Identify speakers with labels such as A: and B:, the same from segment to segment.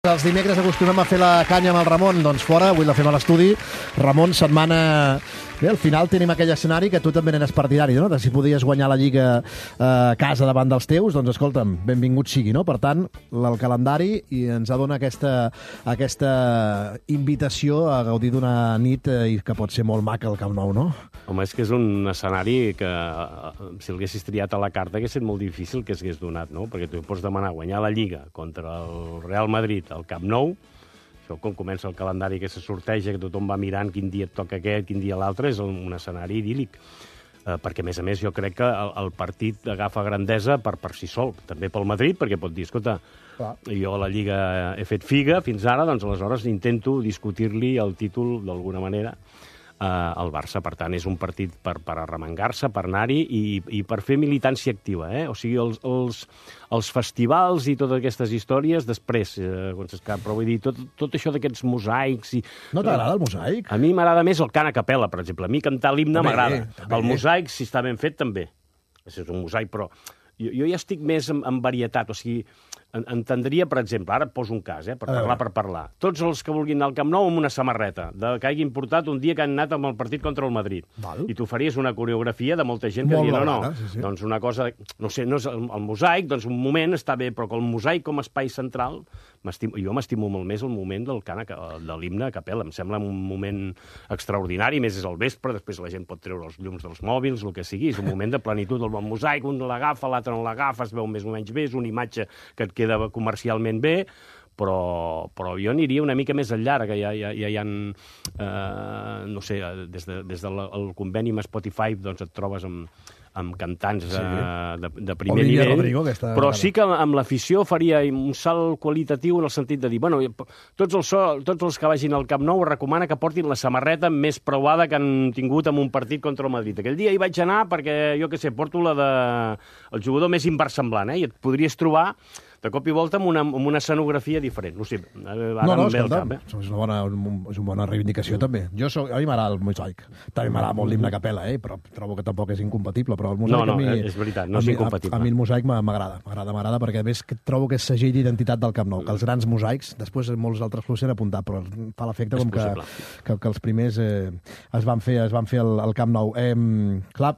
A: Els dimecres acostumem a fer la canya amb el Ramon, doncs fora, avui la fem a l'estudi. Ramon, setmana... Bé, al final tenim aquell escenari que tu també n'eres partidari, no? De si podies guanyar la Lliga a casa davant dels teus, doncs escolta'm, benvingut sigui, no? Per tant, el calendari i ens dona aquesta invitació a gaudir d'una nit que pot ser molt maca al Camp Nou, no?
B: Home, és que és un escenari que, si l'haguessis triat a la carta, hagués estat molt difícil que s'hagués donat, no? Perquè tu pots demanar guanyar la Lliga contra el Real Madrid al Camp Nou. Això, quan comença el calendari que se sorteja, que tothom va mirant quin dia et toca aquest, quin dia l'altre, és un escenari idíl·lic. Perquè, a més, jo crec que el partit agafa grandesa per si sol. També pel Madrid, perquè pot dir, escolta, jo a la Lliga he fet figa fins ara, doncs aleshores intento discutir-li el títol d'alguna manera al Barça. Per tant, és un partit per arremangar-se, per anar-hi i per fer militància activa. O sigui, els festivals i totes aquestes històries, després, però vull dir, tot això d'aquests mosaics...
A: No t'agrada el mosaic?
B: A mi m'agrada més el cant a capella, per exemple. A mi cantar l'himne m'agrada. El mosaic, si està ben fet, també. És un mosaic, però jo ja estic més en varietat, o sigui... Entendria, per exemple, ara et poso un cas, per parlar. Tots els que vulguin anar al Camp Nou amb una samarreta que hagin portat un dia que han anat amb el partit contra el Madrid. I tu faries una coreografia de molta gent que diria, no. Doncs una cosa, no sé, no és el mosaic, doncs un moment està bé, però que el mosaic com a espai central, jo m'estimo molt més el moment del cant de l'himne a capella. Em sembla un moment extraordinari, més és al vespre, després la gent pot treure els llums dels mòbils, el que sigui, és un moment de plenitud. El mosaic, un l'agafa, l'altre no l'agafa, es veu més o menys bé, és una imatge que et queda comercialment bé, però jo aniria una mica més enllà, que ja hi ha, no sé, des del conveni amb Spotify doncs et trobes amb cantants de primer nivell,
A: Rodrigo,
B: però sí que amb l'afició faria un salt qualitatiu en el sentit de dir, bueno, tots els que vagin al Camp Nou recomana que portin la samarreta més preuada que han tingut en un partit contra el Madrid. Aquell dia hi vaig anar perquè, jo què sé, porto el jugador més inversemblant, i et podries trobar de cop i volta amb una escenografia diferent. No sé,
A: escolta, és una bona reivindicació, també. A mi m'agrada el mosaic. També m'agrada molt l'himne a capella, però trobo que tampoc és incompatible. Però el mosaic a mi...
B: és veritat, no és incompatible.
A: A mi el mosaic m'agrada, perquè a més trobo que és segell d'identitat del Camp Nou, que els grans mosaics, després molts altres s'hi han apuntat, però fa l'efecte com que els primers es van fer al Camp Nou. Clar,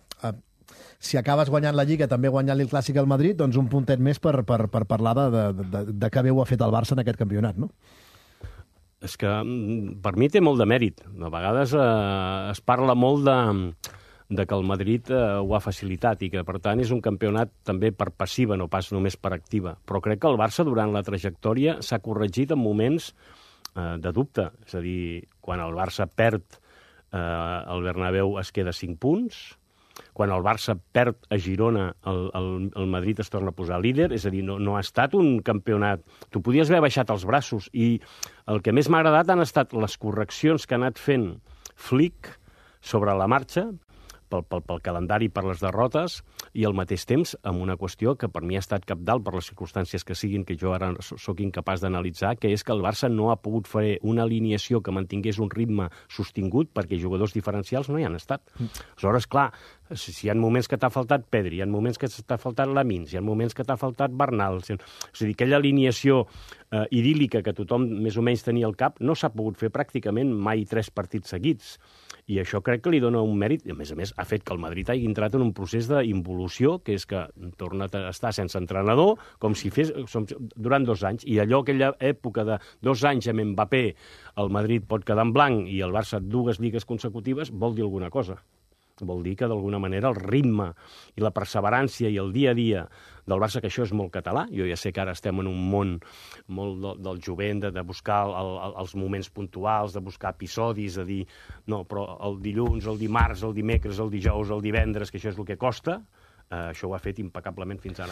A: si acabes guanyant la Lliga, també guanyant-li el Clàssic al Madrid, doncs un puntet més per parlar de que bé ho ha fet el Barça en aquest campionat, no?
B: És que per mi té molt de mèrit. A vegades es parla molt de que el Madrid ho ha facilitat i que, per tant, és un campionat també per passiva, no pas només per activa. Però crec que el Barça, durant la trajectòria, s'ha corregit en moments de dubte. És a dir, quan el Barça perd el Bernabéu es queda 5 punts, quan el Barça perd a Girona, el Madrid es torna a posar líder, és a dir, no ha estat un campionat... Tu podies haver baixat els braços, i el que més m'ha agradat han estat les correccions que ha anat fent Flick sobre la marxa, pel calendari, per les derrotes, i al mateix temps amb una qüestió que per mi ha estat cabdal per les circumstàncies que siguin, que jo ara sóc incapaç d'analitzar, que és que el Barça no ha pogut fer una alineació que mantingués un ritme sostingut, perquè jugadors diferencials no hi han estat. Aleshores, clar, si hi ha moments que t'ha faltat Pedri, hi ha moments que t'ha faltat Lamins, hi ha moments que t'ha faltat Bernal, és a dir, aquella alineació idíl·lica que tothom més o menys tenia al cap no s'ha pogut fer pràcticament mai 3 partits seguits. I això crec que li dona un mèrit, i a més ha fet que el Madrid hagi entrat en un procés d'involució, que és que torna a estar sense entrenador, com si fes durant 2 anys, i aquella època de 2 anys amb Mbappé, el Madrid pot quedar en blanc i el Barça 2 lligues consecutives, vol dir alguna cosa. Vol dir que, d'alguna manera, el ritme i la perseverància i el dia a dia del Barça, que això és molt català, jo ja sé que ara estem en un món molt del jovent, de buscar els moments puntuals, de buscar episodis, de dir, no, però el dilluns, el dimarts, el dimecres, el dijous, el divendres, que això és el que costa, això ho ha fet impecablement fins ara.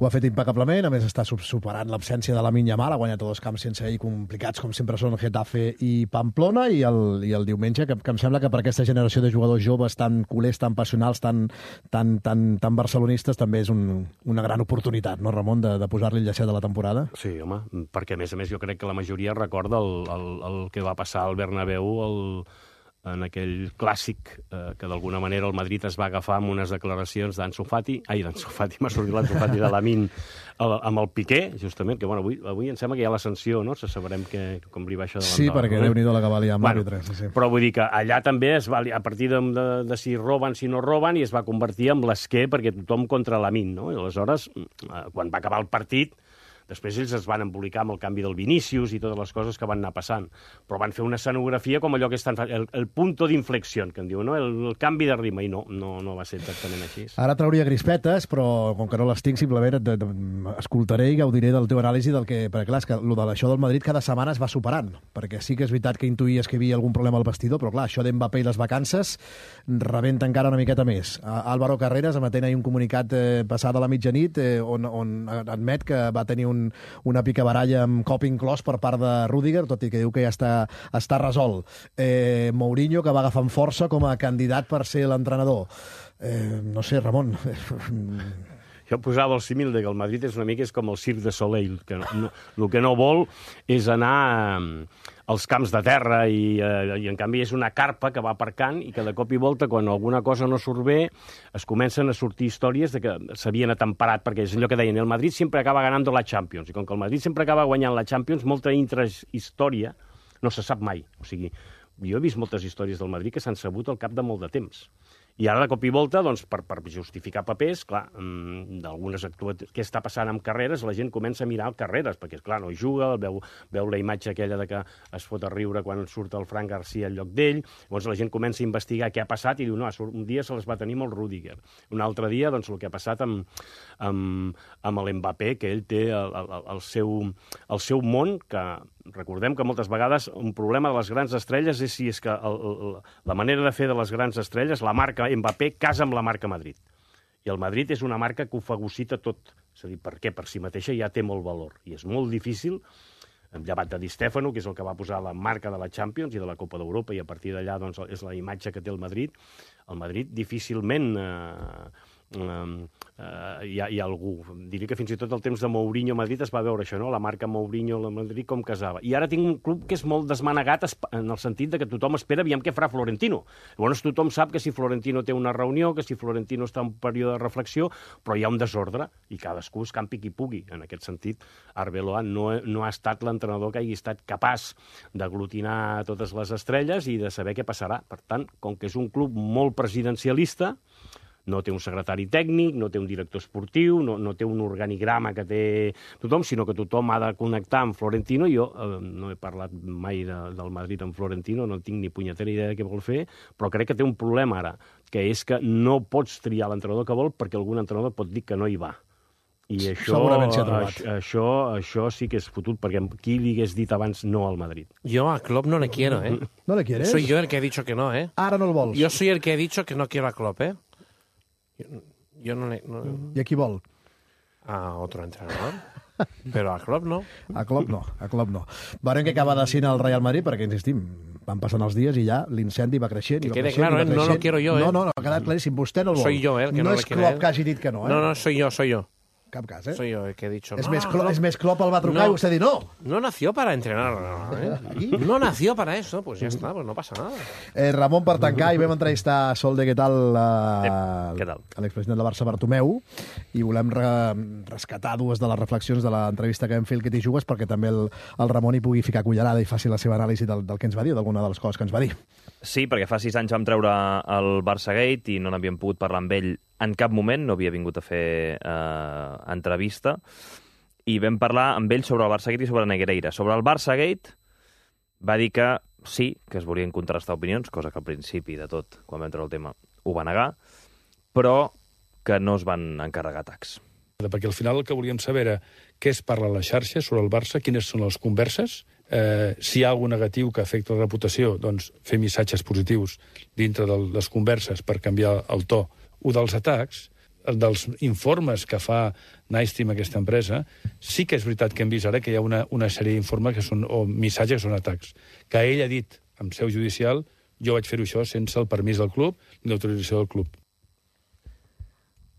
A: Ho ha fet impecablement, a més està superant l'absència de Lamine Yamal, ha guanyat a 2 camps sense ell complicats, com sempre són Getafe i Pamplona, i el diumenge, que em sembla que per aquesta generació de jugadors joves tan culers, tan passionals, tan barcelonistes, també és una gran oportunitat, no, Ramon, de posar-li el llacet de la temporada?
B: Sí, home, perquè a més jo crec que la majoria recorda el que va passar al Bernabéu en aquell clàssic que d'alguna manera el Madrid es va agafar amb unes declaracions d'Ansu Fati, m'ha sortit l'Ansu Fati de Lamine amb el Piqué, justament, que bueno, avui em sembla que hi ha la sanció, no? Sabrem com li va això de l'endol.
A: Sí, perquè Déu-n'hi-do la que valia amb l'àrbitre. Sí.
B: Però vull dir que allà també es va, a partir de si roben, si no roben, i es va convertir en l'esquer perquè tothom contra Lamine, no? I aleshores, quan va acabar el partit, després ells es van embolicar amb el canvi del Vinícius i totes les coses que van anar passant. Però van fer una escenografia com allò que estan fent, el punto d'inflexió, que en diu, no? El canvi de ritme, i no va ser exactament així.
A: Ara trauria crispetes, però com que no les tinc, simplement escoltaré i gaudiré del teu anàlisi perquè clar, és que això del Madrid cada setmana es va superant, perquè sí que és veritat que intuïes que hi havia algun problema al vestidor, però clar, això d'Mbappé i les vacances rebenta encara una miqueta més. Álvaro Carreras emetent ahir un comunicat passada la mitjanit on admet que va tenir una picabaralla amb cop inclòs per part de Rüdiger, tot i que diu que ja està resolt. Mourinho, que va agafant força com a candidat per ser l'entrenador. No sé, Ramon...
B: Jo posava el símil que el Madrid és una mica com el Cirque de Soleil, que el que no vol és anar als camps de terra i en canvi és una carpa que va aparcant i que de cop i volta, quan alguna cosa no surt bé, es comencen a sortir històries de que s'havien atemperat, perquè és allò que deien, el Madrid sempre acaba ganant la Champions, i com que el Madrid sempre acaba guanyant la Champions, molta intrahistòria no se sap mai. O sigui, jo he vist moltes històries del Madrid que s'han sabut al cap de molt de temps. I ara, de cop i volta, doncs, per justificar papers, clar, d'algunes actuacions... Què està passant amb Carreras? La gent comença a mirar el Carreras, perquè, clar, no hi juga, veu la imatge aquella de que es fot a riure quan surt el Fran Garcia al lloc d'ell, llavors la gent comença a investigar què ha passat i diu, no, un dia se les va tenir amb el Rüdiger. Un altre dia, doncs, el que ha passat amb l'Mbappé, que ell té el seu món, que recordem que moltes vegades un problema de les grans estrelles és si és que la manera de fer de les grans estrelles, la marca Mbappé casa amb la marca Madrid. I el Madrid és una marca que ho fagocita tot. És a dir, per què? Per si mateixa ja té molt valor. I és molt difícil, llevat de Di Stefano, que és el que va posar la marca de la Champions i de la Copa d'Europa, i a partir d'allà doncs, és la imatge que té el Madrid. El Madrid difícilment... hi ha algú. Diria que fins i tot el temps de Mourinho a Madrid es va veure això, no? La marca Mourinho a Madrid com casava. I ara tinc un club que és molt desmanegat en el sentit de que tothom espera aviam què farà Florentino. Llavors tothom sap que si Florentino té una reunió, que si Florentino està en un període de reflexió, però hi ha un desordre i cadascú es campi qui pugui. En aquest sentit, Arbeloa no ha estat l'entrenador que hagi estat capaç d'aglutinar totes les estrelles i de saber què passarà. Per tant, com que és un club molt presidencialista, no té un secretari tècnic, no té un director esportiu, no té un organigrama que té tothom, sinó que tothom ha de connectar amb Florentino. Jo no he parlat mai del Madrid amb Florentino, no tinc ni punyetera idea de què vol fer, però crec que té un problema ara, que és que no pots triar l'entrenador que vol perquè algun entrenador pot dir que no hi va. I això sí que és fotut, perquè qui li hagués dit abans no al Madrid?
C: Yo a Klopp no le quiero, ¿eh?
A: ¿No le quieres?
C: Soy yo el que he dicho que no, ¿eh?
A: Ara no el vols.
C: Yo soy el que he dicho que no quiero a Klopp, ¿eh? Yo no le...
A: I a qui vol?
C: A otro entrenador. Pero a Klopp no.
A: A Klopp no. Veurem que acaba decidint el Real Madrid, perquè, insistim, van passant els dies i ja l'incendi va creixent.
C: Que quede claro, no lo quiero yo, ¿eh?
A: No, ha quedat claríssim. Vostè no el vol.
C: Soy yo, el que no le quiere.
A: No és Klopp que hagi dit que no, eh?
C: No, soy yo.
A: Cap cas, eh?
C: Soy yo el que he dicho...
A: És més Klopp el va trucar i vostè ha dit no.
C: No nació para entrenar, ¿eh? No nació para eso, pues ya está, pues no pasa nada.
A: Ramon, per tancar, i vam entrevistar a Solde, què tal?
B: Què tal?
A: A l'expresident de Barça, Bartomeu, i volem rescatar dues de les reflexions de l'entrevista que vam fer el Que t'hi jugues, perquè també el Ramon hi pugui ficar cullerada i faci la seva anàlisi del que ens va dir, d'alguna de les coses que ens va dir.
D: Sí, perquè fa 6 anys vam treure el Barçagate i no n'havíem pogut parlar amb ell en cap moment, no havia vingut a fer entrevista, i vam parlar amb ell sobre el Barçagate i sobre Negreira. Sobre el Barçagate va dir que sí, que es volien contrastar opinions, cosa que al principi de tot, quan vam treure el tema, ho va negar, però que no es van encarregar atacs.
E: Perquè al final el que volíem saber era què es parla a la xarxa sobre el Barça, quines són les converses, si hi ha alguna negatiu que afecta la reputació, doncs fer missatges positius dintre de les converses per canviar el to. O dels atacs, dels informes que fa Nystream, aquesta empresa, sí que és veritat que hem vist ara que hi ha una sèrie d'informes que són, o missatges que són atacs. Que ell ha dit, en seu judicial, jo vaig fer-ho això sense el permís del club ni l'autorització del club.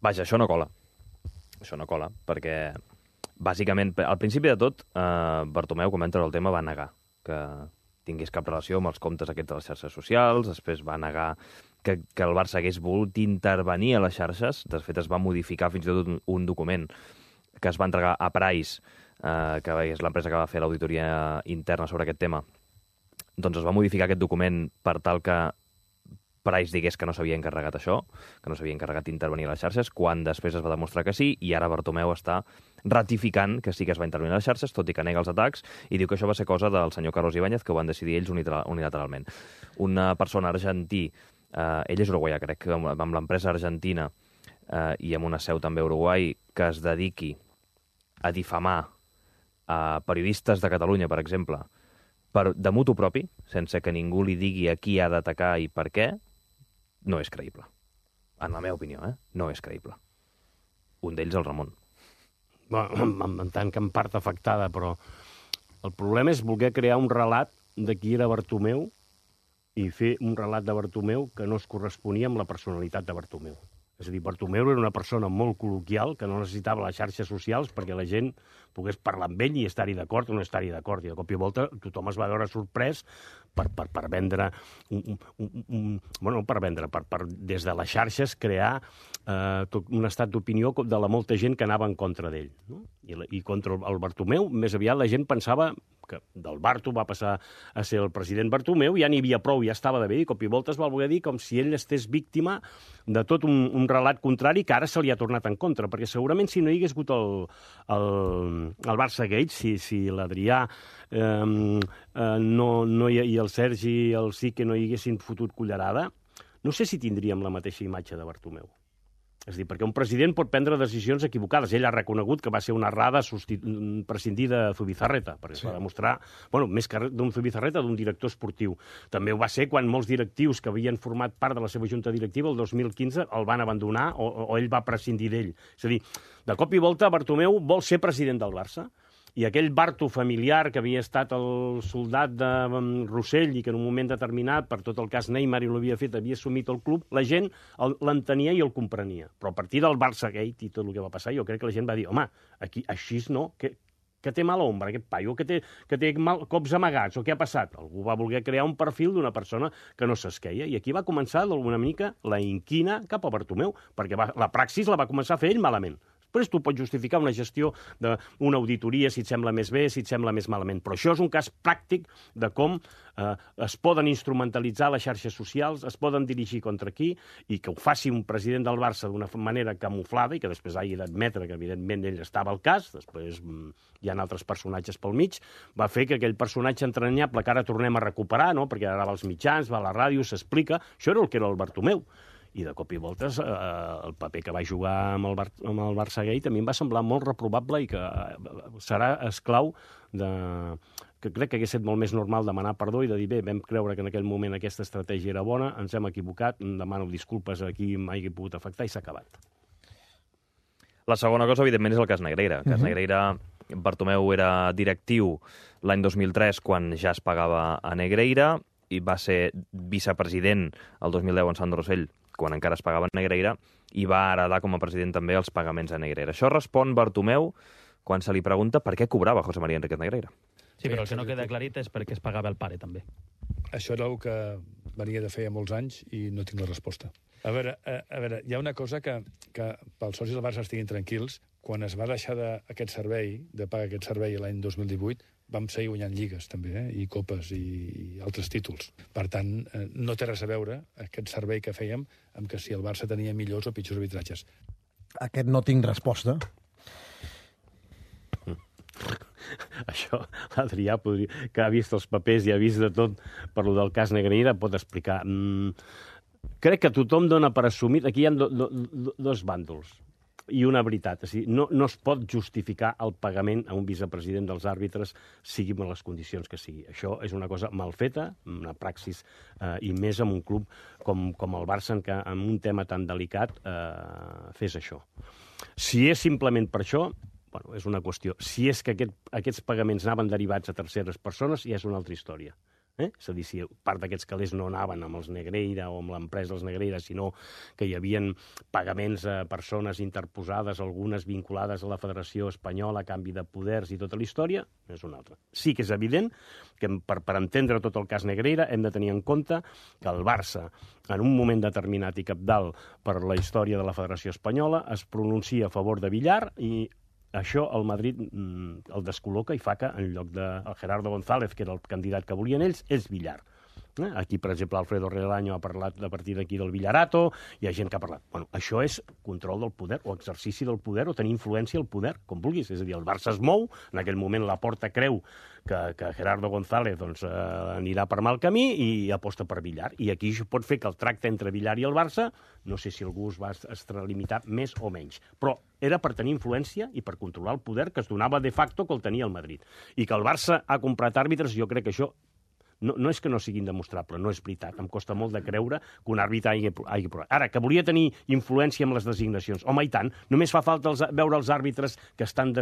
D: Vaja, això no cola. Això no cola, perquè bàsicament, al principi de tot, Bartomeu, quan va entrar el tema, va negar que tingués cap relació amb els comptes aquests de les xarxes socials, després va negar que el Barça hagués volgut intervenir a les xarxes. De fet, es va modificar fins i tot un document que es va entregar a Price, que és l'empresa que va fer l'auditoria interna sobre aquest tema. Doncs es va modificar aquest document per tal que Price digués que no s'havia encarregat això, que no s'havia encarregat d'intervenir a les xarxes, quan després es va demostrar que sí, i ara Bartomeu està ratificant que sí que es va intervenir a les xarxes, tot i que nega els atacs, i diu que això va ser cosa del senyor Carlos Ibáñez, que ho van decidir ells unilateralment. Una persona argentí, ell és uruguaià, crec, amb l'empresa argentina i amb una seu també a Uruguai, que es dediqui a difamar a periodistes de Catalunya, per exemple, de mutu propi, sense que ningú li digui a qui ha d'atacar i per què, no és creïble. En la meva opinió, no és creïble. Un d'ells, el Ramon.
B: Bueno, en tant que en part afectada, però el problema és voler crear un relat de qui era Bartomeu i fer un relat de Bartomeu que no es corresponia amb la personalitat de Bartomeu. És a dir, Bartomeu era una persona molt col·loquial que no necessitava les xarxes socials perquè la gent pogués parlar amb ell i estar-hi d'acord o no estar-hi d'acord. I de cop i volta tothom es va veure sorprès per vendre des de les xarxes crear tot un estat d'opinió de la molta gent que anava en contra d'ell. No? I contra el Bartomeu, més aviat la gent pensava que del Barto va passar a ser el president Bartomeu, ja n'hi havia prou, ja estava de bé, i cop i volta es va voler dir com si ell estés víctima de tot un relat contrari que ara se li ha tornat en contra, perquè segurament si no hi hagués hagut el Barça Gate, si l'Adrià i el Sergi i el Sique no hi haguessin fotut cullerada, no sé si tindríem la mateixa imatge de Bartomeu. És a dir, perquè un president pot prendre decisions equivocades. Ell ha reconegut que va ser una errada prescindir de Zubizarreta, perquè es va demostrar, bueno, més que d'un Zubizarreta, d'un director esportiu. També ho va ser quan molts directius que havien format part de la seva junta directiva el 2015 el van abandonar o ell va prescindir d'ell. És a dir, de cop i volta Bartomeu vol ser president del Barça, i aquell Barto familiar que havia estat el soldat de Rossell i que en un moment determinat, per tot el cas Neymar i l'havia fet, havia assumit el club, la gent l'entenia i el comprenia. Però a partir del Barça Gate i tot el que va passar, jo crec que la gent va dir, home, aquí així no, que té mala ombra, aquest paio, que té cops amagats, o què ha passat? Algú va voler crear un perfil d'una persona que no s'esqueia, i aquí va començar d'alguna mica la inquina cap a Bartomeu, perquè la praxis la va començar a fer ell malament. Després tu pots justificar una gestió d'una auditoria si et sembla més bé, si et sembla més malament. Però això és un cas pràctic de com es poden instrumentalitzar les xarxes socials, es poden dirigir contra qui, i que ho faci un president del Barça d'una manera camuflada i que després hagi d'admetre que, evidentment, ell estava al cas, després hi ha altres personatges pel mig, va fer que aquell personatge entranyable que ara tornem a recuperar, no? Perquè ara va als mitjans, va a la ràdio, s'explica, això era el que era el Bartomeu. I de cop i voltes el paper que va jugar amb el Barça Gate a mi em va semblar molt reprobable i que serà esclau que crec que hagués estat molt més normal demanar perdó i de dir, bé, vam creure que en aquell moment aquesta estratègia era bona, ens hem equivocat, demano disculpes a qui m'hagi pogut afectar i s'ha acabat.
D: La segona cosa, evidentment, és el cas Negreira. El cas Negreira, Bartomeu era directiu l'any 2003 quan ja es pagava a Negreira i va ser vicepresident el 2010 en Sant Rossell quan encara es pagava a Negreira, i va heredar com a president també els pagaments a Negreira. Això respon Bartomeu quan se li pregunta per què cobrava José María Enríquez Negreira.
F: Sí, però el que no queda aclarit és per què es pagava el pare, també.
E: Això era el que venia de fer molts anys i no tinc la resposta. A veure, hi ha una cosa que pels socis del Barça estiguin tranquils. Quan es va deixar aquest servei, de pagar aquest servei l'any 2018, vam seguir guanyant lligues, també, i copes i altres títols. Per tant, no té res a veure aquest servei que fèiem amb que si el Barça tenia millors o pitjors arbitratges.
A: Aquest no tinc resposta.
B: Això, l'Adrià, que ha vist els papers i ha vist de tot per lo del cas Negreira, pot explicar. Crec que tothom dona per assumit... Aquí hi ha dos bàndols i una veritat. És a dir, no es pot justificar el pagament a un vicepresident dels àrbitres, sigui en les condicions que sigui. Això és una cosa mal feta, una praxis, i més en un club com el Barça, en què en un tema tan delicat fes això. Si és simplement per això, bueno, és una qüestió. Si és que aquests pagaments anaven derivats a terceres persones, ja és una altra història. És a dir, si part d'aquests calés no anaven amb els Negreira o amb l'empresa dels Negreira, sinó que hi havia pagaments a persones interposades, algunes vinculades a la Federació Espanyola a canvi de poders i tota la història, és una altra. Sí que és evident que per entendre tot el cas Negreira hem de tenir en compte que el Barça, en un moment determinat i cabdal per la història de la Federació Espanyola, es pronuncia a favor de Villar i això el Madrid el descol·loca i fa que en lloc de Gerardo González, que era el candidat que volien ells, és Villar. Aquí, per exemple, Alfredo Relaño ha parlat a partir d'aquí del Villarato, hi ha gent que ha parlat. Bueno, això és control del poder, o exercici del poder, o tenir influència al poder, com vulguis. És a dir, el Barça es mou, en aquell moment la Porta creu que Gerardo González anirà per mal camí i aposta per Villar. I aquí pot fer que el tracte entre Villar i el Barça, no sé si algú es va extralimitar més o menys, però era per tenir influència i per controlar el poder que es donava de facto que el tenia el Madrid. I que el Barça ha comprat àrbitres, jo crec que això no és que no sigui indemostrable, no és veritat. Em costa molt de creure que un àrbitre hagi provat. Ara, que volia tenir influència amb les designacions. Home, i tant. Només fa falta veure els àrbitres que estan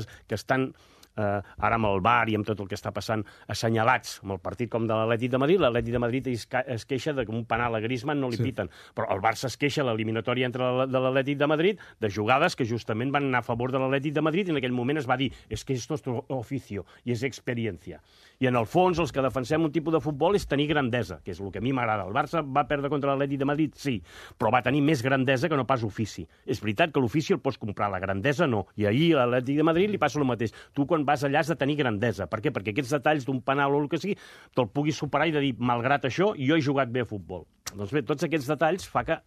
B: ara amb el VAR i amb tot el que està passant assenyalats amb el partit com de l'Atlètic de Madrid. L'Atlètic de Madrid es queixa que un penal a Griezmann no li piten, però el Barça es queixa a l'eliminatòria de l'Atlètic de Madrid de jugades que justament van anar a favor de l'Atlètic de Madrid i en aquell moment es va dir que esto es oficio i és experiència. I en el fons els que defensem un tipus de futbol és tenir grandesa, que és el que a mi m'agrada. El Barça va perdre contra l'Atlètic de Madrid, sí, però va tenir més grandesa que no pas ofici. És veritat que l'ofici el pots comprar, la grandesa no. I ahir a l'Atlètic de Madrid li passa el mateix. Tu quan vas allà has de tenir grandesa. Per què? Perquè aquests detalls d'un penal o el que sigui te'l puguis superar i de dir, malgrat això, jo he jugat bé a futbol. Doncs bé, tots aquests detalls fa que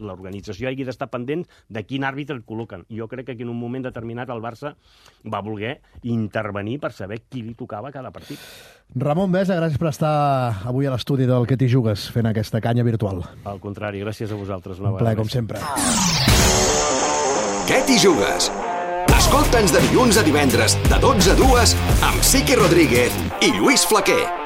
B: l'organització hagi d'estar pendent de quin àrbitre el col·loquen. Jo crec que en un moment determinat el Barça va voler intervenir per saber qui li tocava cada partit.
A: Ramon Besa, gràcies per estar avui a l'estudi del Que t'hi jugues, fent aquesta canya virtual.
B: Al contrari, gràcies a vosaltres.
A: Un plaer, com sempre.
G: Que t'hi jugues? Escolta'ns de dilluns a divendres, de 12 a 2, amb Sique Rodríguez i Lluís Flaquer.